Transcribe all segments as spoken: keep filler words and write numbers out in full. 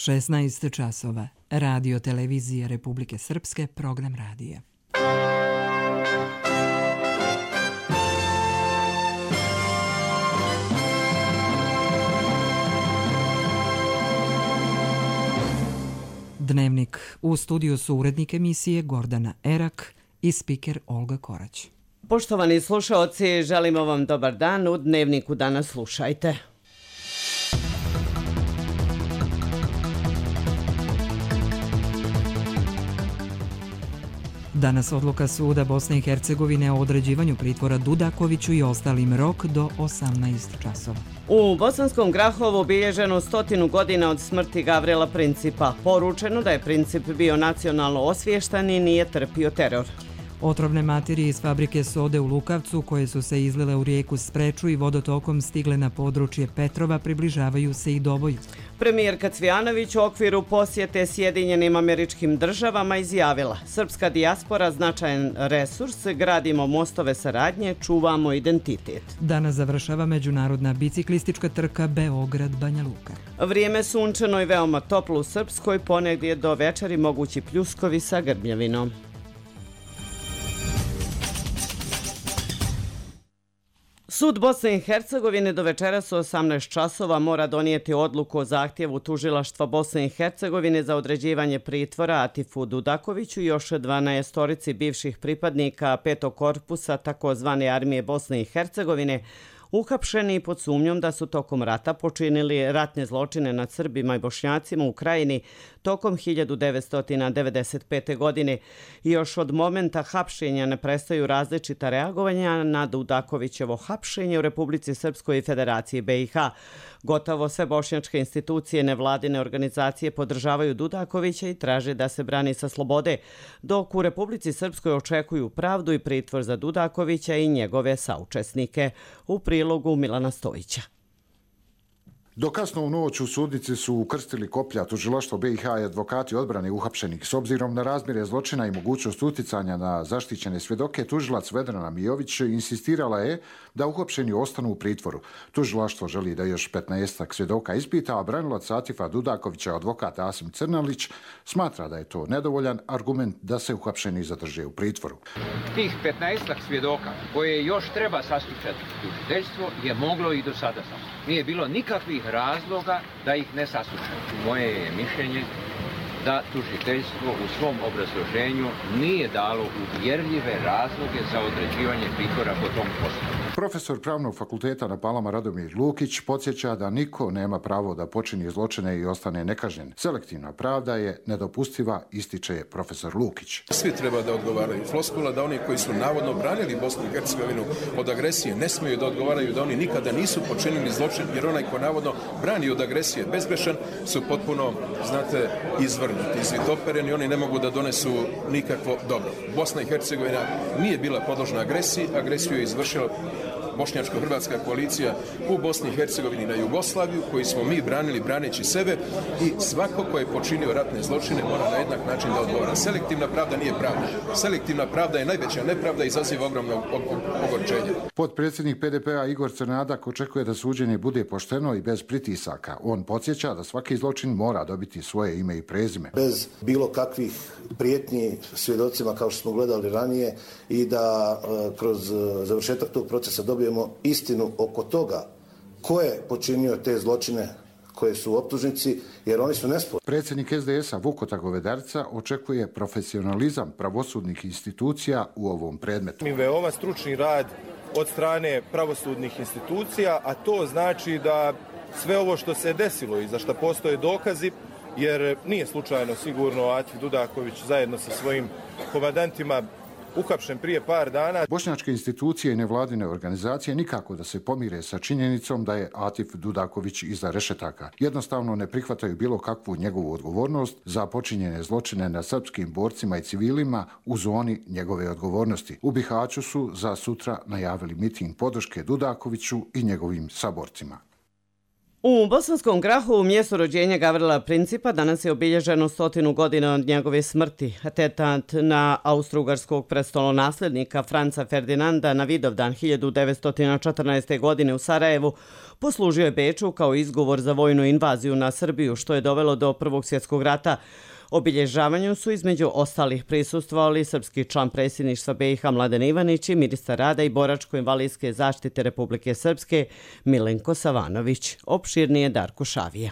šesnaest časova. Radio televizije Republike Srpske, program radija. Dnevnik. U studiju su urednik emisije Gordana Erak i spiker Olga Korać. Poštovani slušaoci, želimo vam dobar dan. U Dnevniku danas slušajte. Danas odluka suda Bosne i Hercegovine o određivanju pritvora Dudakoviću i ostalim rok do osamnaest časova. U Bosanskom Grahovu obilježeno stotinu godina od smrti Gavrila Principa. Poručeno da je Princip bio nacionalno osviještan i nije trpio teror. Otrovne materije iz fabrike sode u Lukavcu, koje su se izlile u rijeku Spreču i vodotokom stigle na područje Petrova, približavaju se i Doboju. Premijerka Cvijanović u okviru posjete Sjedinjenim Američkim Državama izjavila: srpska dijaspora značajan resurs, gradimo mostove saradnje, čuvamo identitet. Danas završava međunarodna biciklistička trka Beograd-Banja Luka. Vrijeme sunčano i veoma toplo u Srpskoj, ponegdje do večeri mogući pljuskovi sa grmljavinom. Sud Bosne i Hercegovine do večeras u osamnaest časova mora donijeti odluku o zahtjevu tužilaštva Bosne i Hercegovine za određivanje pritvora Atifu Dudakoviću i još dvanaestorici bivših pripadnika petog korpusa takozvane armije Bosne i Hercegovine, uhapšeni pod sumnjom da su tokom rata počinili ratne zločine nad Srbima i Bošnjacima u Krajini tokom hiljadu devetsto devedeset pete. godine. I još od momenta hapšenja ne prestaju različita reagovanja na Dudakovićevo hapšenje u Republici Srpskoj i Federaciji B i H. Gotovo sve bošnjačke institucije, nevladine organizacije podržavaju Dudakovića i traže da se brani sa slobode, dok u Republici Srpskoj očekuju pravdu i pritvor za Dudakovića i njegove saučesnike. U prilogu Milana Stojića. Do kasno u noć u sudnici su ukrstili koplja tužilaštvo B i H i advokati odbrane uhapšenih. S obzirom na razmjere zločina i mogućnost uticanja na zaštićene svjedoke, tužilac Vedrana Mijović insistirala je da uhapšeni ostanu u pritvoru. Tužilaštvo želi da još petnaestak svjedoka ispita, a branilac Atifa Dudakovića, advokat Asim Crnalić, smatra da je to nedovoljan argument da se uhapšeni zadrže u pritvoru. Tih petnaestak svjedoka koje još treba saslušati tužiteljstvo je moglo i do sada saslušati. Nije bilo nikakvih razloga da ih ne sasluša. Moje je mišljenje da tužiteljstvo u svom obrazloženju nije dalo uvjerljive razloge za određivanje pritvora po tom postupku. Profesor Pravnog fakulteta na Palama Radomir Lukić podsjeća da niko nema pravo da počini zločine i ostane nekažnjen. Selektivna pravda je nedopustiva, ističe profesor Lukić. Svi treba da odgovaraju. Floskula da oni koji su navodno branili Bosnu i Hercegovinu od agresije ne smiju da odgovaraju, da oni nikada nisu počinili zločin, jer onaj ko navodno brani od agresije bezgrešan su potpuno, znate, izvrnuti, izvitopereni, oni ne mogu da donesu nikakvo dobro. Bosna i Hercegovina nije bila podložna agresiji, agresiju je izvršila bošnjačko-hrvatska koalicija u Bosni i Hercegovini na Jugoslaviju, koji smo mi branili braneći sebe, i svako ko je počinio ratne zločine mora na jednak način da odgovara. Selektivna pravda nije pravda. Selektivna pravda je najveća nepravda i izaziva ogromno ogorčenje. Potpredsjednik P D P-a Igor Crnadak očekuje da suđenje bude pošteno i bez pritisaka. On podsjeća da svaki zločin mora dobiti svoje ime i prezime. Bez bilo kakvih prijetnji svjedocima kao što smo gledali ranije i da e, kroz završetak tog procesa dobijemo istinu oko toga ko je počinio te zločine koje su u optužnici, jer oni su nesporni. Predsjednik S D S-a Vukota Govedarca očekuje profesionalizam pravosudnih institucija u ovom predmetu. Mi veoma stručni rad od strane pravosudnih institucija, a to znači da sve ovo što se desilo i za što postoje dokazi, jer nije slučajno sigurno Atif Dudaković zajedno sa svojim komandantima uhapšen prije par dana. Bošnjačke institucije i nevladine organizacije nikako da se pomire sa činjenicom da je Atif Dudaković iza rešetaka. Jednostavno ne prihvataju bilo kakvu njegovu odgovornost za počinjene zločine na srpskim borcima i civilima u zoni njegove odgovornosti. U Bihaću su za sutra najavili miting podrške Dudakoviću i njegovim saborcima. U Bosanskom Grahovu, mjesto rođenja Gavrila Principa, danas je obilježeno stotinu godina od njegove smrti. Atentat na austrougarskog prestolonaslednika Franca Ferdinanda na Vidovdan hiljadu devetsto četrnaeste. godine u Sarajevu poslužio je Beču kao izgovor za vojnu invaziju na Srbiju, što je dovelo do Prvog svjetskog rata. Obilježavanju su između ostalih prisustvovali srpski član predsjedništva B i H Mladen Ivanić i ministar rada i boračko-invalidske zaštite Republike Srpske Milenko Savanović. Opširnije Darko Šavija.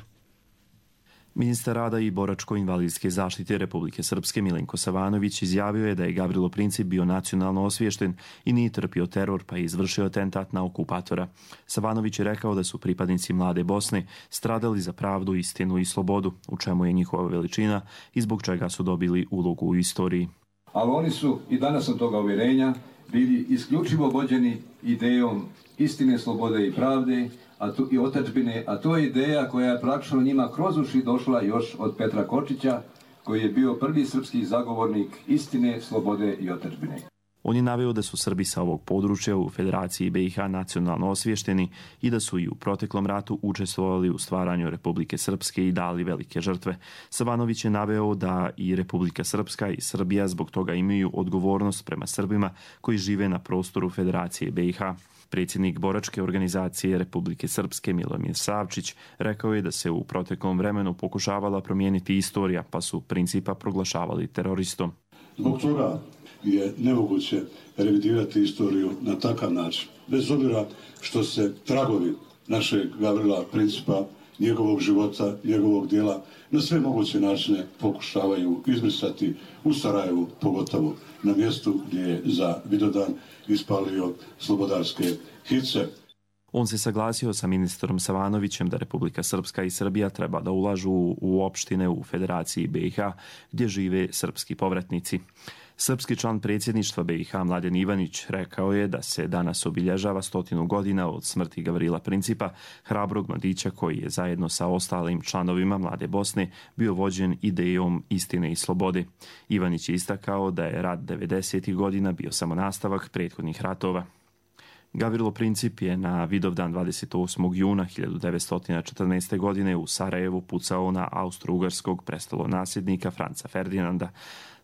Ministar rada i boračko-invalidske zaštite Republike Srpske Milenko Savanović izjavio je da je Gavrilo Princip bio nacionalno osviješten i nije trpio teror pa je izvršio atentat na okupatora. Savanović je rekao da su pripadnici Mlade Bosne stradali za pravdu, istinu i slobodu, u čemu je njihova veličina i zbog čega su dobili ulogu u istoriji. Ali oni su, i danas sam toga uvjerenja, bili isključivo vođeni idejom istine, slobode i pravde, a tu, i otadžbine, a to je ideja koja je praktično njima kroz uši došla još od Petra Kočića, koji je bio prvi srpski zagovornik istine, slobode i otadžbine. On je naveo da su Srbi sa ovog područja u Federaciji B i H nacionalno osviješteni i da su i u proteklom ratu učestvovali u stvaranju Republike Srpske i dali velike žrtve. Savanović je naveo da i Republika Srpska i Srbija zbog toga imaju odgovornost prema Srbima koji žive na prostoru Federacije B i H. Predsjednik boračke organizacije Republike Srpske Milomir Savčić rekao je da se u proteklom vremenu pokušavala promijeniti istorija, pa su Principa proglašavali teroristom. Zbog toga je nemoguće revidirati istoriju na takav način. Bez obzira što se tragovi našeg Gavrila Principa, njegovog života, njegovog djela, na sve moguće načine pokušavaju izbrisati u Sarajevu, pogotovo na mjestu gdje je za Vidovdan ispalio slobodarske hice. On se saglasio sa ministrom Savanovićem da Republika Srpska i Srbija treba da ulažu u opštine u Federaciji B i H gdje žive srpski povratnici. Srpski član predsjedništva B i H Mladen Ivanić rekao je da se danas obilježava stotinu godina od smrti Gavrila Principa, hrabrog mladića koji je zajedno sa ostalim članovima Mlade Bosne bio vođen idejom istine i slobode. Ivanić je istakao da je rat devedesetih godina bio samo nastavak prethodnih ratova. Gavrilo Princip je na Vidovdan dvadeset osmog juna hiljadu devetsto četrnaeste. godine u Sarajevu pucao na austrougarskog prestolonasljednika Franca Ferdinanda.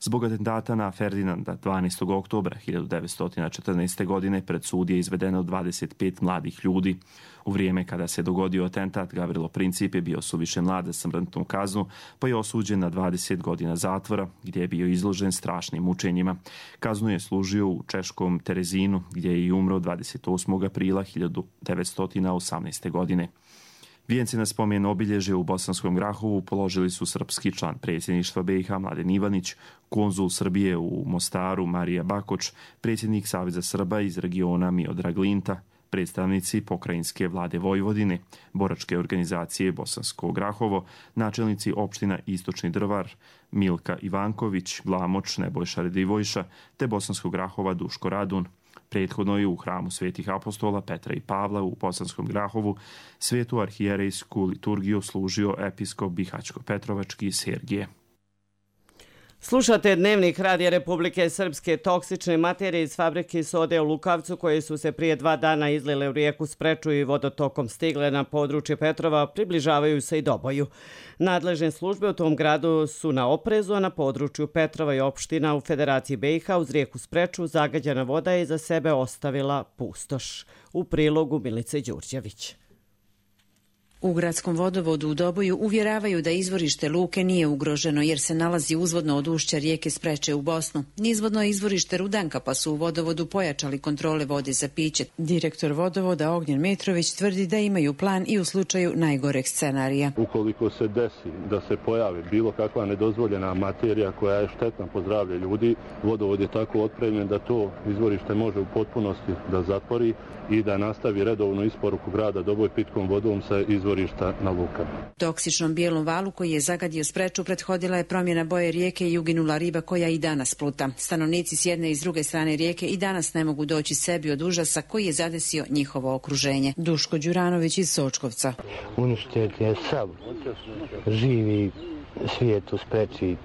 Zbog atentata na Ferdinanda dvanaestog oktobra hiljadu devetsto četrnaeste. godine pred sud je izvedeno dvadeset pet mladih ljudi. U vrijeme kada se dogodio atentat, Gavrilo Princip je bio suviše mlad za smrtnu kaznu, pa je osuđen na dvadeset godina zatvora, gdje je bio izložen strašnim mučenjima. Kaznu je služio u češkom Terezinu, gdje je i umro dvadeset osmog aprila hiljadu devetsto osamnaeste. godine. Vijence na spomen obilježje u Bosanskom Grahovu položili su srpski član predsjedništva B i H Mladen Ivanić, konzul Srbije u Mostaru Marija Bakoč, predsjednik Saveza Srba iz regiona Miodrag Linta, predstavnici pokrajinske vlade Vojvodine, boračke organizacije Bosansko Grahovo, načelnici opština Istočni Drvar, Milka Ivanković, Glamoč, Nebojša Redivojša, te Bosanskog Grahova Duško Radun. Prethodno je u hramu Svetih apostola Petra i Pavla u Bosanskom Grahovu svetu arhijerejsku liturgiju služio episkop Bihaćko-Petrovački Sergije. Slušate Dnevnik Radija Republike Srpske. Toksične materije iz fabrike sode u Lukavcu, koje su se prije dva dana izlile u rijeku Spreču i vodotokom stigle na područje Petrova, približavaju se i Doboju. Nadležne službe u tom gradu su na oprezu, a na području Petrova i opština u Federaciji B i H uz rijeku Spreču zagađena voda je za sebe ostavila pustoš. U prilogu Milice Đurđević. U gradskom vodovodu u Doboju uvjeravaju da izvorište luke nije ugroženo jer se nalazi uzvodno od ušća rijeke Spreče u Bosnu. Nizvodno je izvorište Rudanka, pa su u vodovodu pojačali kontrole vode za piće. Direktor vodovoda Ognjen Mitrović tvrdi da imaju plan i u slučaju najgoreg scenarija. Ukoliko se desi da se pojavi bilo kakva nedozvoljena materija koja je štetna po zdravlje ljudi, vodovod je tako otpremljen da to izvorište može u potpunosti da zatvori i da nastavi redovnu isporuku grada Doboj pitkom vodom sa izvorišta na lukama. Toksičnom bijelom valu koji je zagadio Spreču prethodila je promjena boje rijeke i uginula riba koja i danas pluta. Stanovnici s jedne i s druge strane rijeke i danas ne mogu doći sebi od užasa koji je zadesio njihovo okruženje. Duško Đuranović iz Sočkovca. Uništen je sav živi svijet u Spreči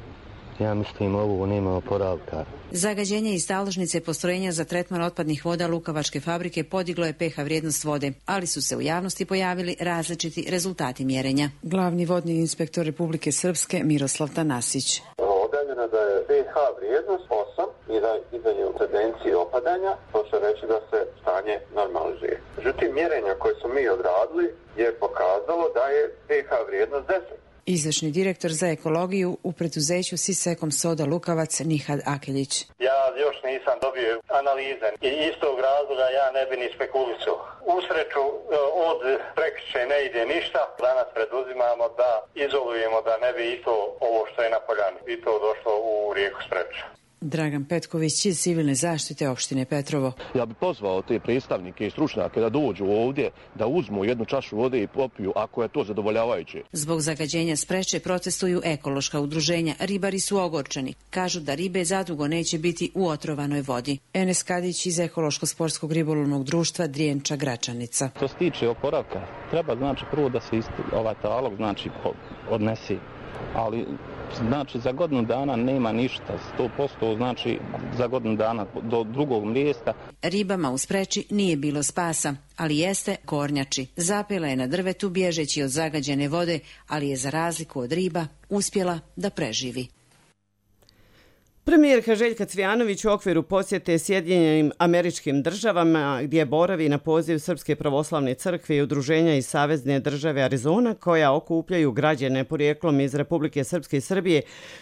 Ja mislim ovo nema oporavka. Zagađenje iz taložnice postrojenja za tretman otpadnih voda Lukavačke fabrike podiglo je pH vrijednost vode, ali su se u javnosti pojavili različiti rezultati mjerenja. Glavni vodni inspektor Republike Srpske Miroslav Tanasić. Objavljeno da je pH vrijednost osam i da izdanje u tendenciji opadanja, to će reći da se stanje normalizuje. Međutim, mjerenja koje smo mi odradili je pokazalo da je pH vrijednost deset. Izvršni direktor za ekologiju u preduzeću Sisekom soda Lukavac Nihad Akeljić. Ja još nisam dobio analize i iz tog razloga ja ne bi ni spekulisao. U sreću od prekriče ne ide ništa. Danas preduzimamo da izolujemo da ne bi i to ovo što je na poljani i to došlo u rijeku Spreča. Dragan Petković iz civilne zaštite opštine Petrovo. Ja bih pozvao te predstavnike i stručnjake da dođu ovdje, da uzmu jednu čašu vode i popiju ako je to zadovoljavajuće. Zbog zagađenja Spreče protestuju ekološka udruženja. Ribari su ogorčeni. Kažu da ribe zadugo neće biti u otrovanoj vodi. Enes Kadić iz ekološko-sportskog ribolovnog društva Drijenča Gračanica. To se tiče oporavka. Treba znači prvo da se isti, ovaj talog znači odnesi, ali znači za godinu dana nema ništa, sto posto znači za godinu dana do drugog mjesta. Ribama u Spreči nije bilo spasa, ali jeste kornjači. Zapela je na drvetu bježeći od zagađene vode, ali je za razliku od riba uspjela da preživi. Premijerka Željka Cvijanović u okviru posjete Sjedinjenim Američkim Državama, gdje boravi na poziv Srpske pravoslavne crkve i udruženja iz Savezne države Arizona, koja okupljaju građane porijeklom iz Republike Srpske i Srbije,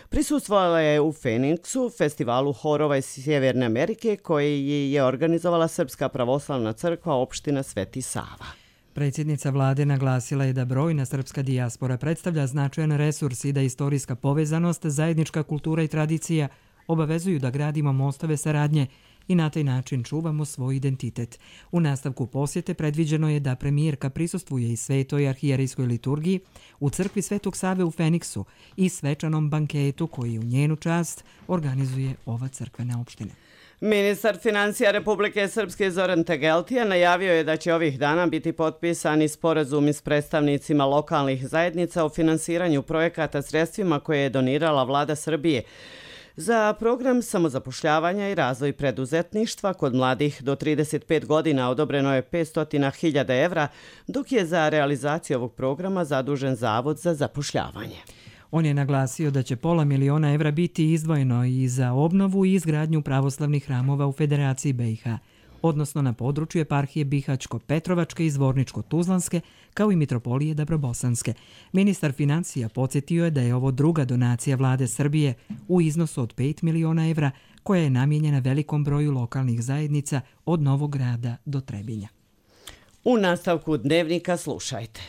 prisustvovala je u Feniksu, festivalu horova iz Sjeverne Amerike, koji je organizovala Srpska pravoslavna crkva opština Sveti Sava. Predsjednica vlade naglasila je da brojna srpska dijaspora predstavlja značajan resurs i da istorijska povezanost, zajednička kultura i tradicija obavezuju da gradimo mostove saradnje i na taj način čuvamo svoj identitet. U nastavku posjete predviđeno je da premijerka prisustvuje i svetoj arhijerejskoj liturgiji u crkvi Svetog Save u Feniksu i svečanom banketu koji u njenu čast organizuje ova crkvena opština. Ministar financija Republike Srpske Zoran Tegeltija najavio je da će ovih dana biti potpisani sporazumi s predstavnicima lokalnih zajednica o finansiranju projekata sredstvima koje je donirala vlada Srbije za program samozapošljavanja i razvoj preduzetništva kod mladih do trideset pet godina odobreno je petsto hiljada evra, dok je za realizaciju ovog programa zadužen Zavod za zapošljavanje. On je naglasio da će pola miliona evra biti izdvojeno i za obnovu i izgradnju pravoslavnih hramova u Federaciji B i H, odnosno na području eparhije Bihaćko-Petrovačke i Zvorničko-Tuzlanske, kao i Mitropolije Dabrobosanske. Ministar financija podsjetio je da je ovo druga donacija vlade Srbije u iznosu od pet miliona evra, koja je namijenjena velikom broju lokalnih zajednica od Novog Grada do Trebinja. U nastavku dnevnika slušajte.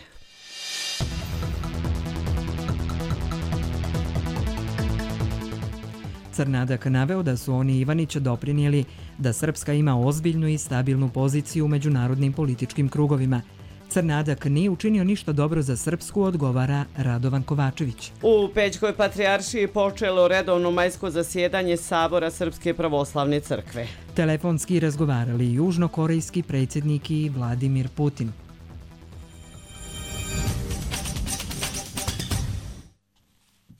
Crnadak naveo da su oni Ivanić doprinijeli da Srpska ima ozbiljnu i stabilnu poziciju u međunarodnim političkim krugovima. Crnadak nije učinio ništa dobro za Srpsku, odgovara Radovan Kovačević. U Pećkoj patrijaršiji počelo redovno majsko zasjedanje Sabora Srpske pravoslavne crkve. Telefonski razgovarali južnokorejski predsjednik i Vladimir Putin.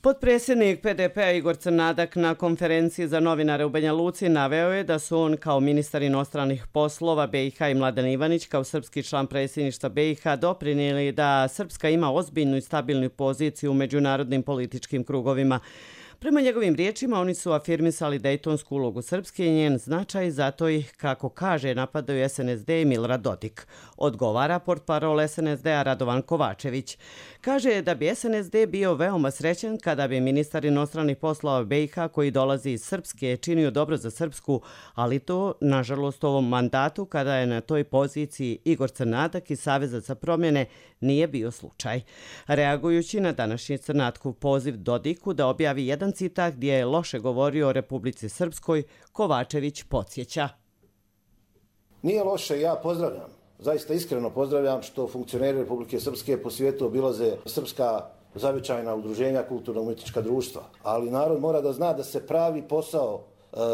Potpredsjednik P D P-a Igor Crnadak na konferenciji za novinare u Banja Luci naveo je da su on kao ministar inostranih poslova B i H i Mladen Ivanić kao srpski član predsjedništva B i H doprinijeli da Srpska ima ozbiljnu i stabilnu poziciju u međunarodnim političkim krugovima. Prema njegovim riječima, oni su afirmisali dejtonsku ulogu Srpske i njen značaj, zato ih, kako kaže, napadaju S N S D i Milorad Dodik. Odgovara portparol S N S D-a Radovan Kovačević. Kaže da bi S N S D bio veoma srećan kada bi ministar inostranih poslova B i H koji dolazi iz Srpske činio dobro za Srpsku, ali to, nažalost, u ovom mandatu, kada je na toj poziciji Igor Crnadak iz Saveza za promjene, nije bio slučaj. Reagujući na današnji Crnatkov poziv Dodiku da objavi jedan citat gdje je loše govorio o Republici Srpskoj, Kovačević podsjeća. Nije loše, ja pozdravljam, zaista iskreno pozdravljam što funkcioneri Republike Srpske po svijetu obilaze srpska zavičajna udruženja, kulturno-umjetnička društva. Ali narod mora da zna da se pravi posao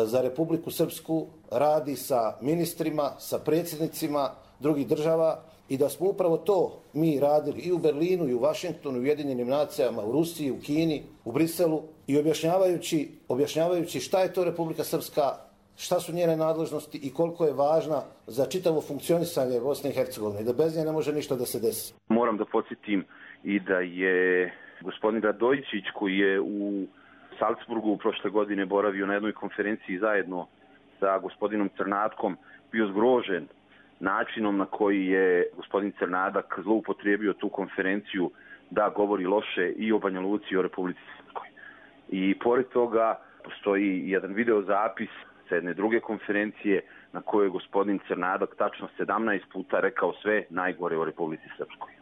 za Republiku Srpsku radi sa ministrima, sa predsjednicima drugih država i da smo upravo to mi radili i u Berlinu, i u Vašingtonu, i u Ujedinjenim nacijama, u Rusiji, u Kini, u Briselu i objašnjavajući, objašnjavajući šta je to Republika Srpska, šta su njene nadležnosti i koliko je važna za čitavo funkcionisanje Bosne i Hercegovine i da bez nje ne može ništa da se desi. Moram da podsjetim i da je gospodin Radojičić, koji je u Salzburgu prošle godine boravio na jednoj konferenciji zajedno sa gospodinom Crnatkom, bio zgrožen načinom na koji je gospodin Crnadak zloupotrijebio tu konferenciju da govori loše i o Banja Luci i o Republici Srpskoj. I pored toga postoji jedan video zapis sa jedne druge konferencije na kojoj je gospodin Crnadak tačno sedamnaest puta rekao sve najgore o Republici Srpskoj.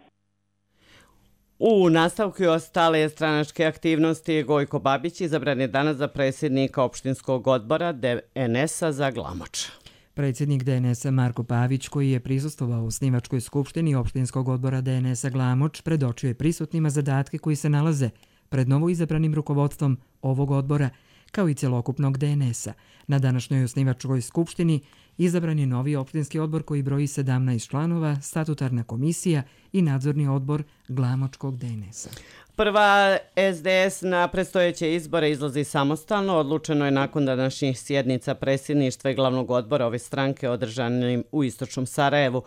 U nastavku i ostale stranačke aktivnosti Gojko Babić izabran je danas za predsjednika opštinskog odbora D N S-a za Glamoč. Predsjednik D N S-a Marko Pavić, koji je prisustvovao u osnivačkoj skupštini opštinskog odbora D N S-a Glamoč, predočio je prisutnima zadatke koji se nalaze pred novoizabranim rukovodstvom ovog odbora, kao i celokupnog D N S-a. Na današnjoj osnivačkoj skupštini izabran je novi opštinski odbor koji broji sedamnaest članova, statutarna komisija i nadzorni odbor Glamočkog D N S-a. Prva S D S na predstojeće izbore izlazi samostalno. Odlučeno je nakon današnjih sjednica predsjedništva i glavnog odbora ove stranke održanim u istočnom Sarajevu.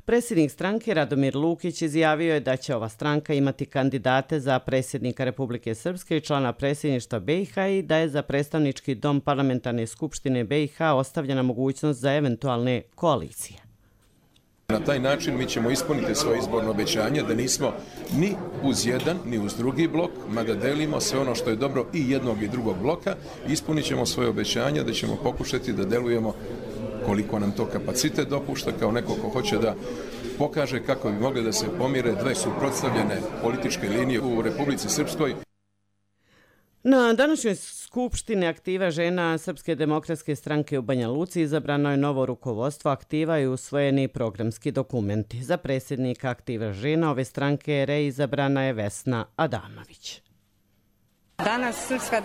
Predsjednik stranke Radomir Lukić izjavio je da će ova stranka imati kandidate za predsjednika Republike Srpske i člana predsjedništva B i H i da je za predstavnički dom parlamentarne skupštine B i H ostavljena mogućnost za eventualne koalicije. Na taj način mi ćemo ispuniti svoje izborno obećanje da nismo ni uz jedan, ni uz drugi blok, mada delimo sve ono što je dobro i jednog i drugog bloka. Ispunit ćemo svoje obećanje da ćemo pokušati da delujemo koliko nam to kapacitet dopušta, kao neko ko hoće da pokaže kako bi mogli da se pomire dve suprotstavljene političke linije u Republici Srpskoj. Na današnjoj skupštini Aktiva žena Srpske demokratske stranke u Banja Luci izabrano je novo rukovodstvo Aktiva i usvojeni programski dokumenti. Za predsjednika Aktiva žena ove stranke reizabrana je Vesna Adamović. Danas Srpska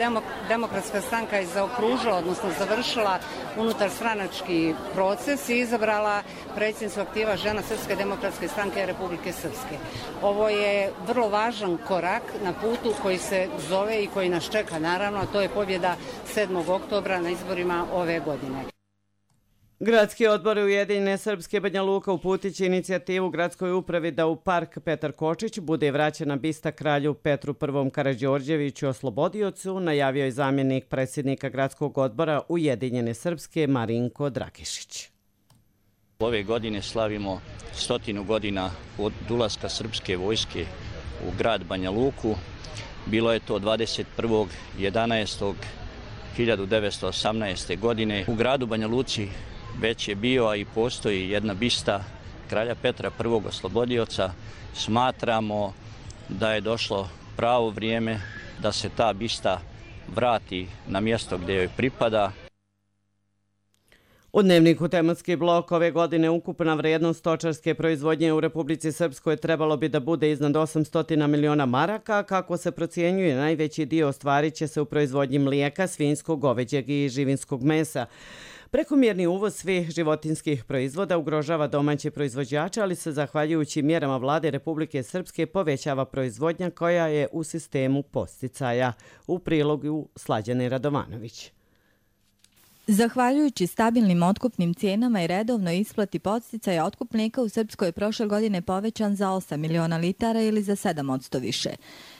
demokratska stranka je zaokružila, odnosno završila unutar stranački proces i izabrala predsjednicu Aktiva žena Srpske demokratske stranke Republike Srpske. Ovo je vrlo važan korak na putu koji se zove i koji nas čeka, naravno, a to je pobjeda sedmog oktobra na izborima ove godine. Gradski odbor Ujedinjene Srpske Banja Luka uputit će inicijativu gradskoj upravi da u park Petar Kočić bude vraćena bista kralju Petru I. Karađorđeviću Oslobodiocu, najavio je zamjenik predsjednika gradskog odbora Ujedinjene Srpske Marinko Drakišić. Ove godine slavimo stotinu godina od ulaska srpske vojske u grad Banja Luku. Bilo je to dvadeset prvog jedanaestog hiljadu devetsto osamnaeste. godine. U gradu Banja Luci već je bio, a i postoji jedna bista kralja Petra I. Oslobodioca. Smatramo da je došlo pravo vrijeme da se ta bista vrati na mjesto gdje joj pripada. U dnevniku tematski blok ove godine ukupna vrijednost stočarske proizvodnje u Republici Srpskoj trebalo bi da bude iznad osamsto miliona maraka. Kako se procjenjuje, najveći dio ostvarit će se u proizvodnji mlijeka, svinjskog, goveđeg i živinskog mesa. Prekomjerni uvoz svih životinskih proizvoda ugrožava domaće proizvođače, ali se zahvaljujući mjerama vlade Republike Srpske povećava proizvodnja koja je u sistemu podsticaja. U prilogu Slađane Radovanović. Zahvaljujući stabilnim otkupnim cijenama i redovnoj isplati podsticaja, otkup mlijeka u Srpskoj je prošle godine povećan za osam miliona litara ili za sedam posto više.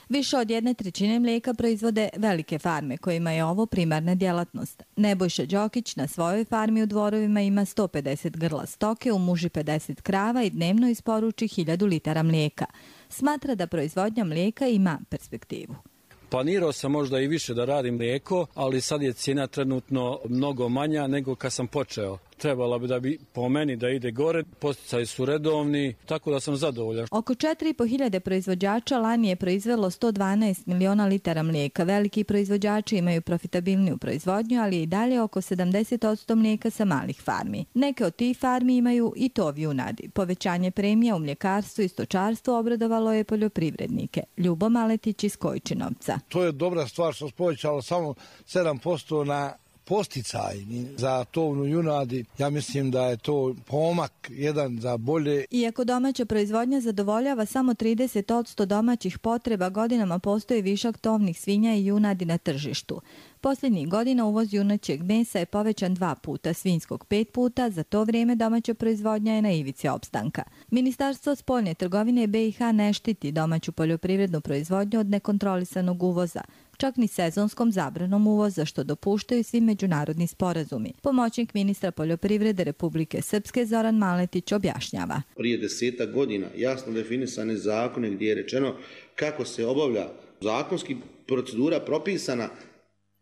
Više od jedne trećine mlijeka proizvode velike farme kojima je ovo primarna djelatnost. Nebojša Đokić na svojoj farmi u Dvorovima ima sto pedeset grla stoke, u Muži pedeset krava i dnevno isporuči hiljadu litara mlijeka. Smatra da proizvodnja mlijeka ima perspektivu. Planirao sam možda i više da radim mlijeko, ali sad je cijena trenutno mnogo manja nego kad sam počeo. Trebala bi da bi po meni da ide gore, podsticaji su redovni, tako da sam zadovoljan. Oko četiri i po hiljade proizvođača lani je proizvelo sto dvanaest miliona litara mlijeka. Veliki proizvođači imaju profitabilniju proizvodnju, ali i dalje oko sedamdeset posto mlijeka sa malih farmi. Neke od tih farmi imaju i tov junadi. Povećanje premija u mljekarstvu i stočarstvu obradovalo je poljoprivrednike. Ljubo Maletić iz Kojčinovca. To je dobra stvar što se povećalo samo sedam posto na posticajni za tovnu junadi. Ja mislim da je to pomak jedan za bolje. Iako domaća proizvodnja zadovoljava samo trideset posto domaćih potreba, godinama postoji višak tovnih svinja i junadi na tržištu. Posljednjih godina uvoz junećeg mesa je povećan dva puta, svinjskog pet puta, za to vrijeme domaća proizvodnja je na ivici opstanka. Ministarstvo spoljne trgovine B i H ne štiti domaću poljoprivrednu proizvodnju od nekontrolisanog uvoza, čak ni sezonskom zabranom uvoza, što dopuštaju svi međunarodni sporazumi. Pomoćnik ministra poljoprivrede Republike Srpske Zoran Maletić objašnjava. Prije desetak godina jasno definisane zakone gdje je rečeno kako se obavlja zakonski procedura propisana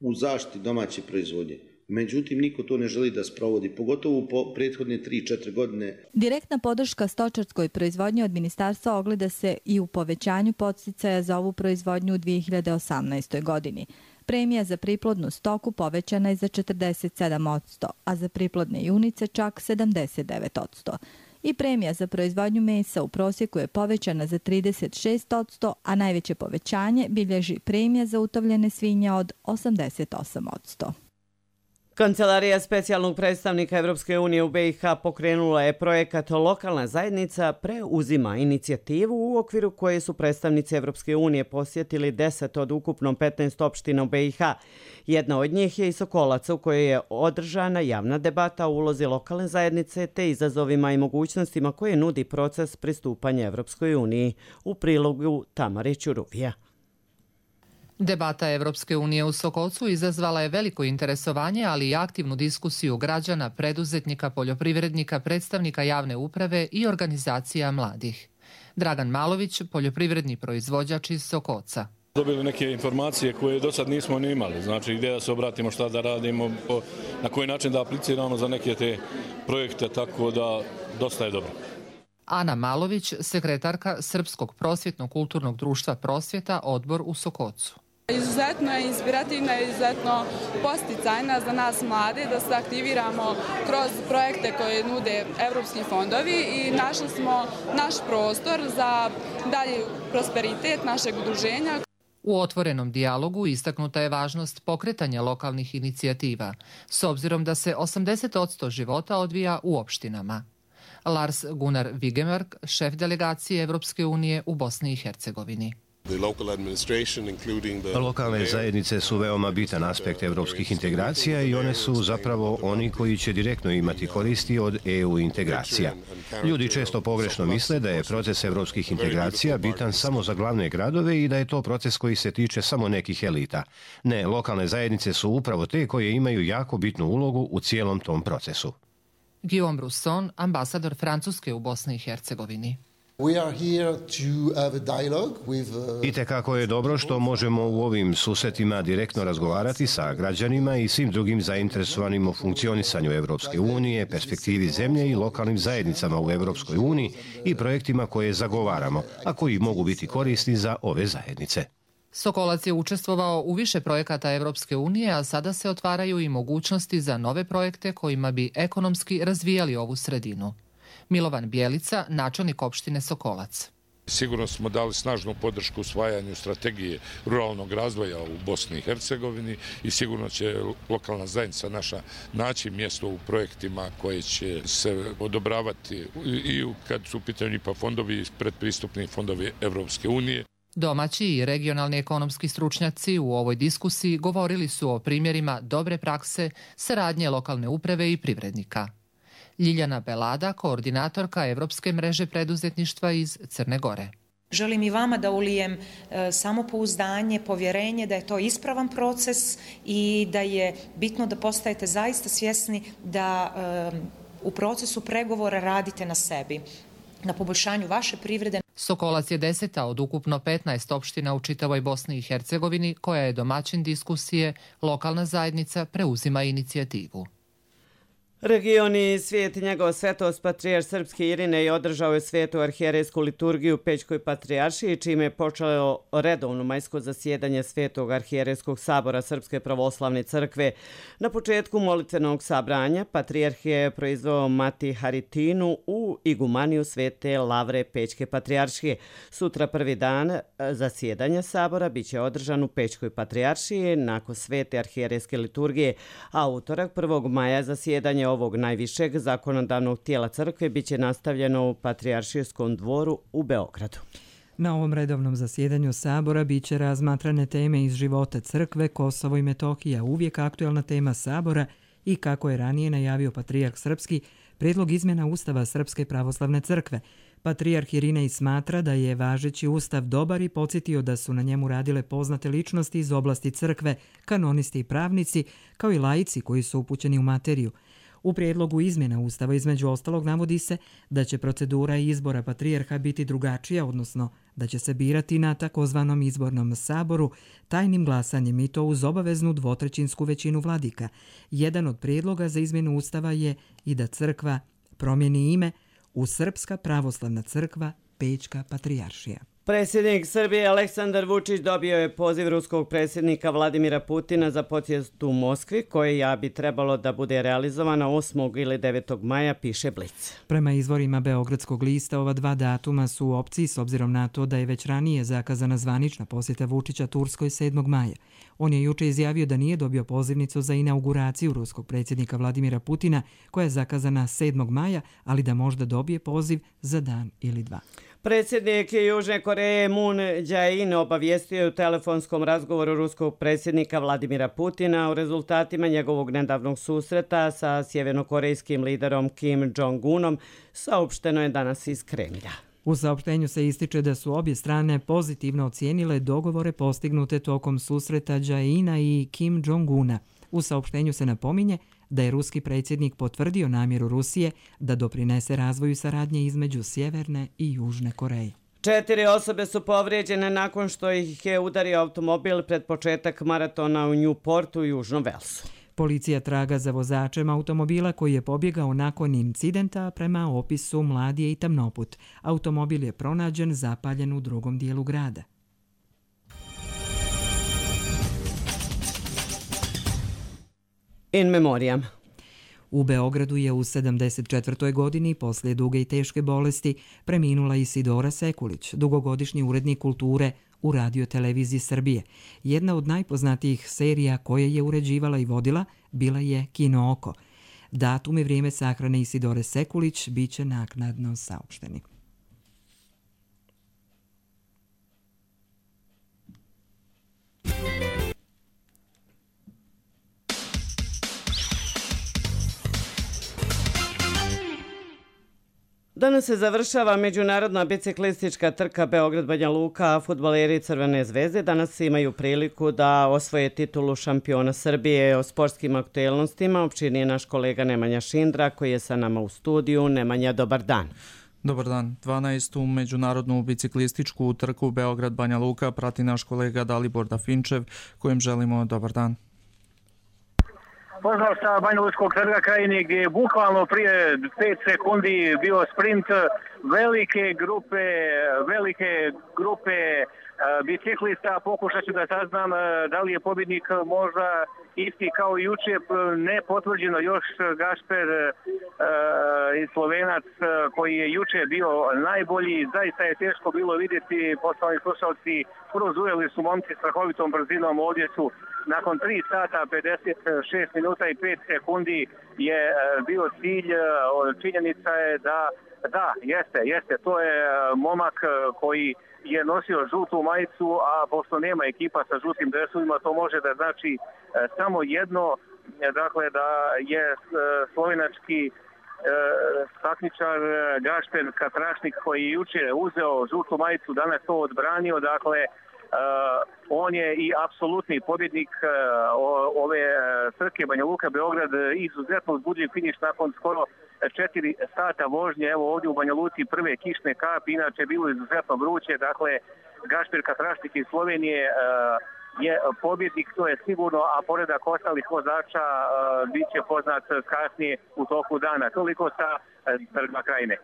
u zaštiti domaće proizvodnje. Međutim, niko to ne želi da sprovodi, pogotovo u prethodne tri četiri godine. Direktna podrška stočarskoj proizvodnji od ministarstva ogleda se i u povećanju podsticaja za ovu proizvodnju u dvije hiljade osamnaestoj. godini. Premija za priplodnu stoku povećana je za četrdeset sedam posto, a za priplodne junice čak sedamdeset devet posto. I premija za proizvodnju mesa u prosjeku je povećana za trideset šest posto, a najveće povećanje bilježi premija za utovljene svinje od osamdeset osam posto. Kancelarija specijalnog predstavnika Evropske unije u B i H pokrenula je projekat Lokalna zajednica preuzima inicijativu, u okviru koje su predstavnici Evropske unije posjetili deset od ukupno petnaest opština u B i H. Jedna od njih je i Sokolac, u kojoj je održana javna debata o ulozi lokalne zajednice te izazovima i mogućnostima koje nudi proces pristupanja Evropskoj uniji. U prilogu Tamare Ćuruvija. Debata Evropske unije u Sokolcu izazvala je veliko interesovanje, ali i aktivnu diskusiju građana, preduzetnika, poljoprivrednika, predstavnika javne uprave i organizacija mladih. Dragan Malović, poljoprivredni proizvođač iz Sokolca. Dobili neke informacije koje do sad nismo ni imali, znači gdje da se obratimo, šta da radimo, na koji način da apliciramo za neke te projekte, tako da dosta je dobro. Ana Malović, sekretarka Srpskog prosvjetno-kulturnog društva Prosvjeta, odbor u Sokolcu. Izuzetno je inspirativna i izuzetno posticajna za nas mlade da se aktiviramo kroz projekte koje nude evropski fondovi i našli smo naš prostor za dalji prosperitet našeg udruženja. U otvorenom dijalogu istaknuta je važnost pokretanja lokalnih inicijativa, s obzirom da se osamdeset posto života odvija u opštinama. Lars Gunnar Vigemark, šef delegacije Evropske unije u Bosni i Hercegovini. Lokalne zajednice su veoma bitan aspekt evropskih integracija i one su zapravo oni koji će direktno imati koristi od E U integracija. Ljudi često pogrešno misle da je proces evropskih integracija bitan samo za glavne gradove i da je to proces koji se tiče samo nekih elita. Ne, lokalne zajednice su upravo te koje imaju jako bitnu ulogu u cijelom tom procesu. Guillaume Rousson, ambasador Francuske u Bosni i Hercegovini. I tekako je dobro što možemo u ovim susretima direktno razgovarati sa građanima i svim drugim zainteresovanim u funkcionisanju Evropske unije, perspektivi zemlje i lokalnim zajednicama u Evropskoj uniji i projektima koje zagovaramo, a koji mogu biti korisni za ove zajednice. Sokolac je učestvovao u više projekata Evropske unije, a sada se otvaraju i mogućnosti za nove projekte kojima bi ekonomski razvijali ovu sredinu. Milovan Bjelica, načelnik opštine Sokolac. Sigurno smo dali snažnu podršku usvajanju strategije ruralnog razvoja u Bosni i Hercegovini i sigurno će lokalna zajednica naša naći mjesto u projektima koje će se odobravati i kad su u pitanju I P A fondovi i predpristupni fondovi Evropske unije. Domaći i regionalni ekonomski stručnjaci u ovoj diskusiji govorili su o primjerima dobre prakse, saradnje lokalne uprave i privrednika. Ljiljana Belada, koordinatorka Evropske mreže preduzetništva iz Crne Gore. Želim i vama da ulijem e, samopouzdanje, povjerenje da je to ispravan proces i da je bitno da postajete zaista svjesni da e, u procesu pregovora radite na sebi, na poboljšanju vaše privrede. Sokolac je deseta od ukupno petnaest opština u čitavoj Bosni i Hercegovini koja je domaćin diskusije Lokalna zajednica preuzima inicijativu. Regioni i svijet i njegov svetost patrijarh srpski Irinej održao je svetu arhijerejsku liturgiju u Pećkoj patrijaršiji, čime je počelo redovno majsko zasjedanje Svetog arhijerejskog sabora Srpske pravoslavne crkve. Na početku molitvenog sabranja patrijarh je proizveo Mati Haritinu u igumaniju Svete Lavre Pećke patrijaršije. Sutra prvi dan zasjedanja sabora biće održan u Pećkoj patrijaršiji nakon Svete arhijerejske liturgije, a utorak prvog maja zasjedanje ovog najvišeg zakonodavnog tijela crkve biće nastavljeno u Patrijaršijskom dvoru u Beogradu. Na ovom redovnom zasjedanju sabora biće razmatrane teme iz života crkve, Kosovo i Metohija, uvijek aktuelna tema sabora i, kako je ranije najavio patrijarh srpski, prijedlog izmjena Ustava Srpske pravoslavne crkve. Patrijarh Irinej smatra da je važeći ustav dobar i podsjetio da su na njemu radile poznate ličnosti iz oblasti crkve, kanonisti i pravnici, kao i laici koji su upućeni u materiju. U prijedlogu izmjena Ustava između ostalog navodi se da će procedura izbora patrijarha biti drugačija, odnosno da će se birati na takozvanom izbornom saboru tajnim glasanjem i to uz obaveznu dvotrećinsku većinu vladika. Jedan od prijedloga za izmjenu Ustava je i da crkva promijeni ime u Srpska pravoslavna crkva Pećka patrijaršija. Predsjednik Srbije Aleksandar Vučić dobio je poziv ruskog predsjednika Vladimira Putina za posjet u Moskvi, koja bi trebalo da bude realizovana osmog ili devetog maja, piše Blic. Prema izvorima Beogradskog lista, ova dva datuma su u opciji s obzirom na to da je već ranije zakazana zvanična posjeta Vučića Turskoj sedmog maja. On je juče izjavio da nije dobio pozivnicu za inauguraciju ruskog predsjednika Vladimira Putina, koja je zakazana sedmog maja, ali da možda dobije poziv za dan ili dva. Predsjednik Južne Koreje Moon Jae-in obavijestio je u telefonskom razgovoru ruskog predsjednika Vladimira Putina o rezultatima njegovog nedavnog susreta sa sjevernokorejskim liderom Kim Jong-unom, saopšteno je danas iz Kremlja. U saopštenju se ističe da su obje strane pozitivno ocijenile dogovore postignute tokom susreta Jae-ina i Kim Jong-una. U saopštenju se napominje da je ruski predsjednik potvrdio namjeru Rusije da doprinese razvoju saradnje između Sjeverne i Južne Koreje. Četiri osobe su povrijeđene nakon što ih je udario automobil pred početak maratona u Newportu u Južnom Velsu. Policija traga za vozačem automobila koji je pobjegao nakon incidenta, prema opisu mlad je i tamnoput. Automobil je pronađen zapaljen u drugom dijelu grada. In memoriam. U Beogradu je u sedamdeset četvrtoj godini poslije duge i teške bolesti preminula Isidora Sekulić, dugogodišnji urednik kulture u Radio-televiziji Srbije. Jedna od najpoznatijih serija koje je uređivala i vodila bila je Kino oko. Datum i vrijeme sahrane Isidore Sekulić biće naknadno saopšteni. Danas se završava međunarodna biciklistička trka Beograd-Banja Luka, a fudbaleri Crvene zvezde danas imaju priliku da osvoje titulu šampiona Srbije. O sportskim aktuelnostima opširnije naš kolega Nemanja Šindra, koji je sa nama u studiju. Nemanja, dobar dan. Dobar dan. dvanaestu međunarodnu biciklističku trku Beograd-Banja Luka prati naš kolega Dalibor Dafinčev, kojem želimo dobar dan. Pozdrav sa Banja Lučkog trga Krajine, gdje je bukvalno prije pet sekundi bio sprint velike grupe, velike grupe biciklista. Pokušat ću da saznam da li je pobjednik možda isti kao i juče, ne potvrđeno još Gašper i Slovenac koji je juče bio najbolji. Zaista je teško bilo vidjeti, poštovani slušalci, prozujeli su momci strahovitom brzinom. Ovdje su nakon tri sata pedeset šest minuta i pet sekundi je bio cilj. Činjenica je da, da, jeste, jeste, to je momak koji je nosio žutu majicu, a pošto nema ekipa sa žutim dresovima, to može da znači samo jedno, dakle da je slovenački takmičar Gašper Katrašnik, koji je juče uzeo žutu majicu, danas to odbranio, dakle on je i apsolutni pobjednik ove trke Banja Luka Beograd. Izuzetno uzbudljiv finiš nakon skoro četiri sata vožnje. Evo ovdje u Banja Luci prve kišne kapi, inače bilo izuzetno vruće. Dakle, Gašper Katrašnik iz Slovenije je pobjednik, to je sigurno, a poredak ostalih vozača bit će poznat kasnije u toku dana. Toliko sa Trga Krajine.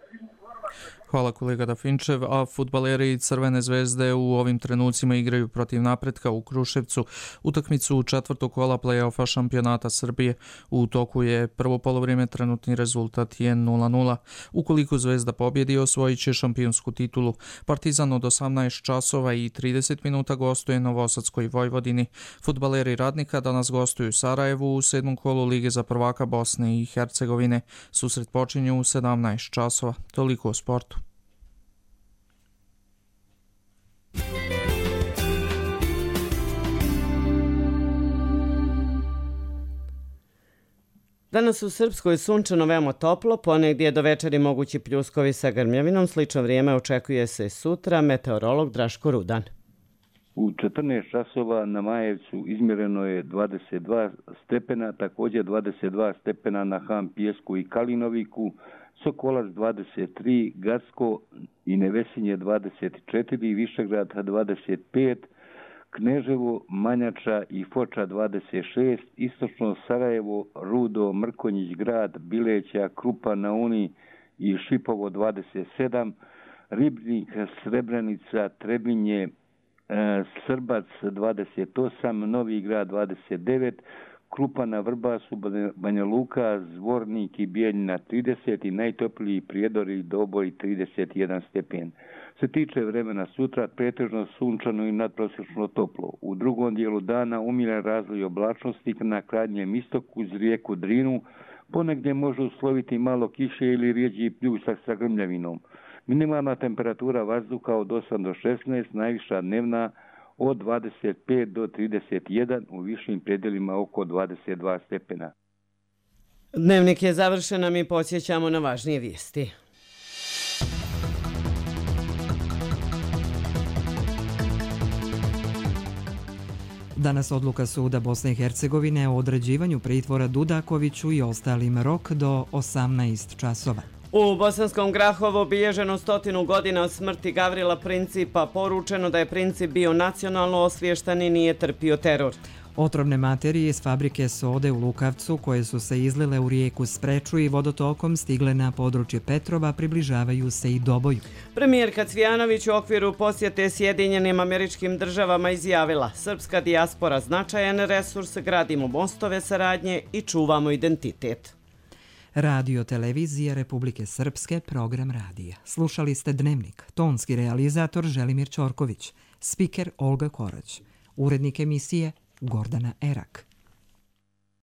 Hvala kolega Dafinčev, a fudbaleri Crvene zvezde u ovim trenucima igraju protiv Napretka u Kruševcu utakmicu četvrtog kola play-offa šampionata Srbije. U toku je prvo polovrijeme, trenutni rezultat je nula nula. Ukoliko Zvezda pobjedi, osvojit će šampionsku titulu. Partizan od osamnaest časova i trideset minuta gostuje Novosadskoj Vojvodini. Fudbaleri Radnika danas gostuju u Sarajevu u sedmom kolu Lige za prvaka Bosne i Hercegovine. Susret počinje u sedamnaest časova. Toliko o sportu. Danas u Srpskoj sunčano, veoma toplo, ponegdje do večeri mogući pljuskovi sa grmljavinom. Slično vrijeme očekuje se sutra. Meteorolog Draško Rudan. U četrnaest časova na Majevcu izmjereno je dvadeset dva stepena, također dvadeset dva stepena na Ham Pijesku i Kalinoviku, Sokolac dvadeset tri, Gacko i Nevesinje dvadeset četiri, Višegrad dvadeset pet, Kneževo, Manjača i Foča dvadeset šest, istočno Sarajevo, Rudo, Mrkonjić grad, Bileća, Krupa na Uni i Šipovo dvadeset sedam, Ribnik, Srebrenica, Trebinje, Srbac dvadeset osam, Novi grad dvadeset devet, Krupa na Vrbasu, Banja Luka, Zvornik i Bijeljina trideset i najtopliji Prijedor i Doboj trideset jedan stepen. Se tiče vremena sutra, pretežno sunčano i nadprosječno toplo. U drugom dijelu dana umiran razvoj oblačnosti na krajnjem istoku uz rijeku Drinu, ponegdje može usloviti malo kiše ili rijeđi pljusak sa grmljavinom. Minimalna temperatura vazduha od osam do šesnaest, najviša dnevna od dvadeset pet do trideset jedan, u višim predjelima oko dvadeset dva stepena. Dnevnik je završen, a mi podsjećamo na važnije vijesti. Danas odluka Suda Bosne i Hercegovine o određivanju pritvora Dudakoviću i ostalim rok do osamnaest časova. U Bosanskom Grahovu obilježeno stotinu godina od smrti Gavrila Principa, poručeno da je Princip bio nacionalno osviješten i nije trpio teror. Otrovne materije iz fabrike sode u Lukavcu, koje su se izlile u rijeku Spreču i vodotokom stigle na područje Petrova, približavaju se i Doboju. Premijerka Cvijanović u okviru posjete Sjedinjenim Američkim Državama izjavila: srpska dijaspora značajan resurs, gradimo mostove saradnje i čuvamo identitet. Radio Televizija Republike Srpske, program radija. Slušali ste Dnevnik, tonski realizator Želimir Ćorković, spiker Olga Korać, urednik emisije Gordana Erak.